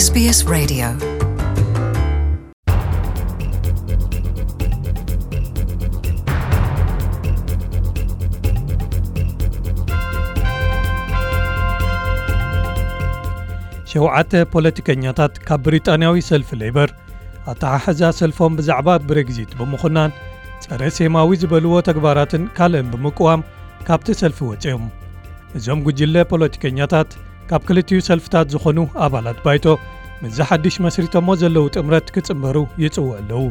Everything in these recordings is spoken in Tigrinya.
SBS Radio. ሸውዓተ ፖለቲከኛታት ካብ ብሪጣንያዊ ሰልፊ ሌበር ኣተሓሕዛ ሰልፎም ብዛዕባ ብሬግዚት ብምኹናን ጸረ ሴማዊ ዝበልዎ ተግባራትን ካልእን ብምቅዋም ካብቲ ሰልፊ ወጺኦም። እዞም ጉጅለ ፖለቲከኛታት ካብ ክልቲኡ ሰልፍታት ዝኾኑ ኣባላት ባይቶ ምስዚ ሓድሽ መስሪቶሞ ዘለዉ ጥምረት ክጽንበሩ ይጽውዑ ኣለዉ።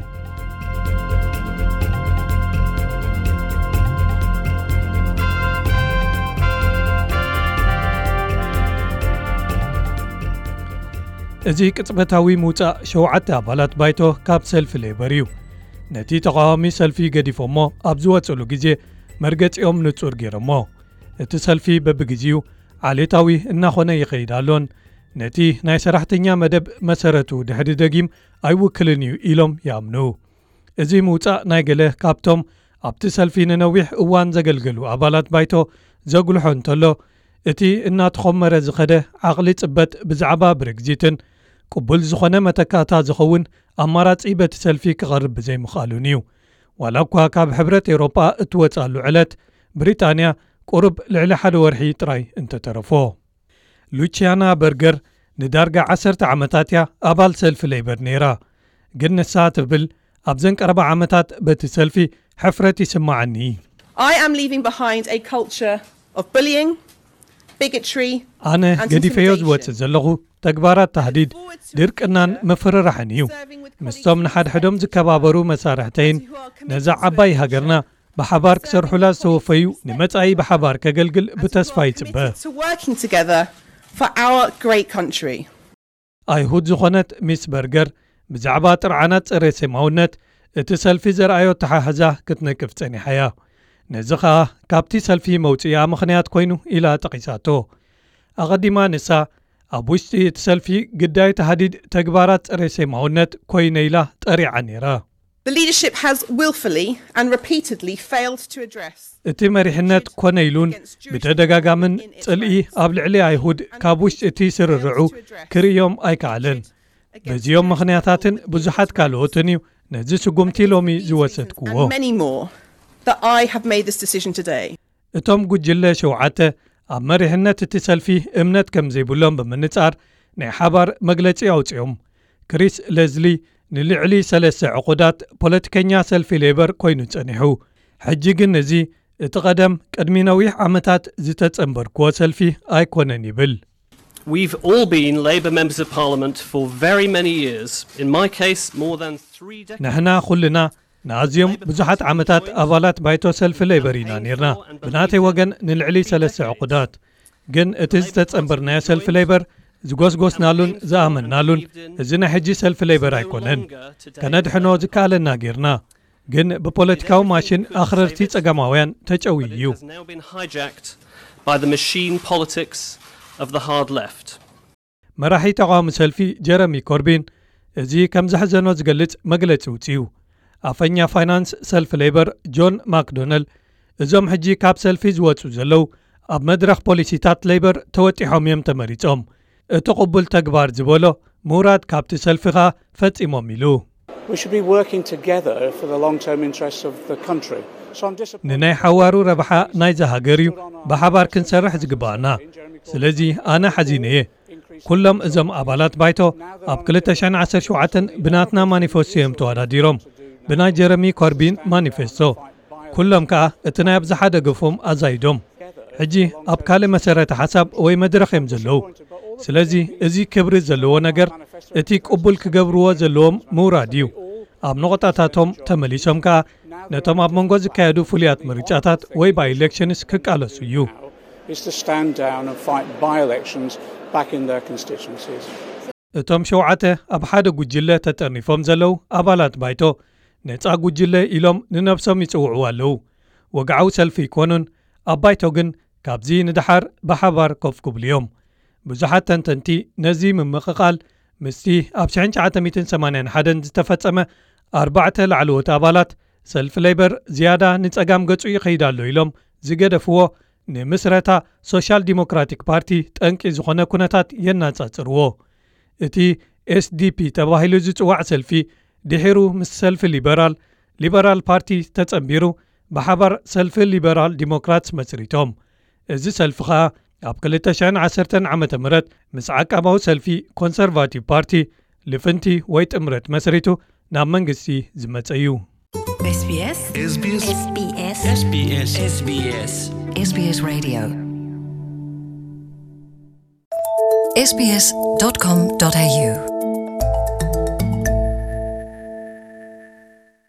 እዚ ቅጽበታዊ ምውጻእ ሸውዓተ ኣባላት ባይቶ ካብ ሰልፊ ሌበር እዩ። ነቲ ተቓዋሚ ሰልፊ ገዲፎሞ ኣብ ዝወጽሉ ግዜ መርገጺኦም ንጹር ገይሮሞ። እቲ ሰልፊ በብግዜኡ ዓሌታዊ እናኾነ ይኸይድ ኣሎን ነቲ ናይ ሰራሕተኛ መደብ መሰረቱ ድሕሪ ደጊም ኣይውክልን እዩ ኢሎም ይኣምኑ። እዚ ምውጻእ ናይ ገለ ካብቶም ኣብቲ ሰልፊ ንነዊሕ እዋን ዘገልገሉ ኣባላት ባይቶ ዘጉልሖ እንተሎ፣ እቲ እናተኾመረ ዝኸደ ዓቕሊ ጽበት ብዛዕባ ብሬግዚትን ቅቡል ዝኾነ መተካእታ ዝኸውን ኣማራጺ በቲ ሰልፊ ክቐርብ ብዘይምኽኣሉን እዩ። ዋላ እኳ ካብ ሕብረት ኤውሮጳ እትወጻሉ ዕለት ብሪጣንያ ቁሩብ ልዕሊ ሓደ ወርሒ ጥራይ እንተተረፎ። ሉቺያና በርገር ንዳርጋ ዓሰርተ ዓመታት እያ ኣባል ሰልፊ ሌበር ነይራ። ግን ንሳ ትብል፣ ኣብዘን ቀረባ ዓመታት በቲ ሰልፊ ሕፍረት ይስማዓኒ። I am leaving behind a culture of bullying, bigotry, ኣነ and ገዲፈዮ intimidation. ዝወጽእ ዘለኹ ተግባራት ታህዲድ፣ ድርቅናን ምፍርራሕን እዩ። ምስቶም ንሓድሕዶም ዝከባበሩ መሳርሕተይን ነዛ ዓባይ ሃገርና ብሓባር ክሰርሑላ ዝተወፈዩ ንመጻኢ ብሓባር ከገልግል ብተስፋ ይጽበ። To working together for our great country. ኣይሁድ ዝኾነት ሚስ በርገር ብዛዕባ ጥርዓናት ጸረ ሴማውነት እቲ ሰልፊ ዘርኣዮ ኣተሓሕዛ ክትነቅፍ ጸኒሓ እያ። ነዚ ኸኣ ካብቲ ሰልፊ መውጽኢኣ ምኽንያት ኮይኑ ኢላ ጠቒሳቶ። ኣቐዲማ ንሳ ኣብ ውሽጢ እቲ ሰልፊ ግዳይ ተሃዲድ ተግባራት ጸረ ሴማውነት ኮይነ ኢላ ጠሪዓ ነይራ። The leadership has willfully and repeatedly failed to address እቲ መሪሕነት ኮነ ኢሉን ብተደጋጋምን ጽልኢ ኣብ ልዕሊ ኣይሁድ ካብ ውሽጢ እቲ ስርርዑ ክርእዮም ኣይከኣለን። በዚኦም ምኽንያታትን ብዙሓት ካልኦትን እዩ ነዚ ስጉምቲ ሎሚ ዝወሰድክዎ። And many more that I have made this decision today. እቶም ጉጅለ ሸውዓተ ኣብ መሪሕነት እቲ ሰልፊ እምነት ከም ዘይብሎም ብምንጻር ናይ ሓባር መግለጺ ኣውጺኦም። ክሪስ ለዝሊ ንልዕሊ ሰለስተ ዕቑዳት ፖለቲከኛ ሰልፊ ሌበር ኮይኑ ጸኒሑ። ሕጂ ግን እዚ እቲ ቀደም ቅድሚ ነዊሕ ዓመታት ዝተጸንበርክዎ ሰልፊ ኣይኮነን ይብል። We've all been Labour Members of Parliament for very many years, in my case, more than three decades. ንሕና ኩልና ንኣዝዮም ብዙሓት ዓመታት ኣባላት ባይቶ ሰልፊ ሌበር ኢና ነይርና። ብናተይ ወገን ንልዕሊ ሰለስተ ዕቑዳት። ግን እቲ ዝተጸንበርናዮ ሰልፊ ሌበር ዝጎስጎስናሉን ዝኣመንናሉን እዚ ናይ ሕጂ ሰልፊ ሌበር ኣይኮነን። ከነድሕኖ ዝከኣለና ጌርና። ግን ብፖለቲካዊ ማሽን ኣኽረርቲ ጸጋማውያን ተጨውዩ እዩ። Has now been hijacked by the machine politics of the hard left. መራሒ ተቓዋሚ ሰልፊ ጀረሚ ኮርቢን እዚ ከም ዘሕዘኖ ዝገልጽ መግለጺ ውጽኡ። ኣፈኛ ፋይናንስ ሰልፊ ሌበር ጆን ማክዶነል እዞም ሕጂ ካብ ሰልፊ ዝወጹ ዘለዉ ኣብ መድረኽ ፖሊሲታት ሌበር ተወጢሖም እዮም ተመሪጾም። እቲ ቅቡል ተግባር ዝበሎ ምውራድ ካብቲ ሰልፊ ኸኣ ፈጺሞም ኢሉ። We should be working together for the long-term interests of the country. So I'm disappointed. ንናይ ሓዋሩ ረብሓ ናይዛ ሃገር እዩ ብሓባር ክንሰርሕ ዝግባኣና። ስለዚ ኣነ ሓዚነ እየ። ኩሎም እዞም ኣባላት ባይቶ ኣብ ክልተ ሽሕን ዓሰርተ ሸውዓተን ብናትና ማኒፌስቶ እዮም ተወዳዲሮም፣ ብናይ ጀረሚ ኮርቢን ማኒፌስቶ። ኩሎም ከኣ እቲ ናይ ኣብዝሓ ደገፎም ኣዛይዶም። ሕጂ ኣብ ካልእ መሰረተ ሓሳብ ወይ መድረኽ እዮም ዘለዉ። ስለዚ እዚ ክብሪ ዘለዎ ነገር እቲ ቅቡል ክገብርዎ ዘለዎም ምውራድ እዩ። ኣብ ነቑጣታቶም ተመሊሶም ከኣ ነቶም ኣብ መንጎ ዝካየዱ ፍሉያት ምርጫታት ወይ ባይ ኢሌክሽንስ ክቃለሱ እዩ። Is to stand down and fight by-elections back in their constituencies. እቶም ሸውዓተ ኣብ ሓደ ጉጅለ ተጠርኒፎም ዘለዉ ኣባላት ባይቶ ነጻ ጉጅለ ኢሎም ንነብሶም ይጽውዕዋ ኣለዉ። ወግዓዊ ሰልፊ ይኮኑን ኣብ ባይቶ ግን ካብዚ ንደሓር ብሓባር ኮፍ ክብሉ እዮም። ብዙሓት ተንተንቲ ነዚ ምምቕቓል ምስቲ ኣብ ሽሕን ትሽዓተ ሚእትን ሰማንያን ሓደን ዝተፈጸመ ኣርባዕተ ላዕለዎት ኣባላት ሰልፊ ሌበር ዝያዳ ንጸጋም ገጹ ይኸይድ ኣሎ ኢሎም ዝገደፍዎ ንምስረታ ሶሻል ዲሞክራቲክ ፓርቲ ጠንቂ ዝኾነ ኩነታት የነጻጽርዎ። እቲ ኤስዲፒ ተባሂሉ ዝጽዋዕ ሰልፊ ድሒሩ ምስ ሰልፊ ሊበራል፣ ሊበራል ፓርቲ ተጸንቢሩ ብሓባር ሰልፊ ሊበራል ዲሞክራትስ መስሪቶም። እዚ ሰልፊ ኸኣ ኣብ ክልተ ሽሕን ዓሰርተን ዓመተ ምህረት ምስ ዓቃባዊ ሰልፊ ኮንሰርቫቲቭ ፓርቲ ልፍንቲ ወይ ጥምረት መስሪቱ ናብ መንግስቲ ዝመጸ እዩ። SBS SBS SBS SBS SBS Radio sbs.com.au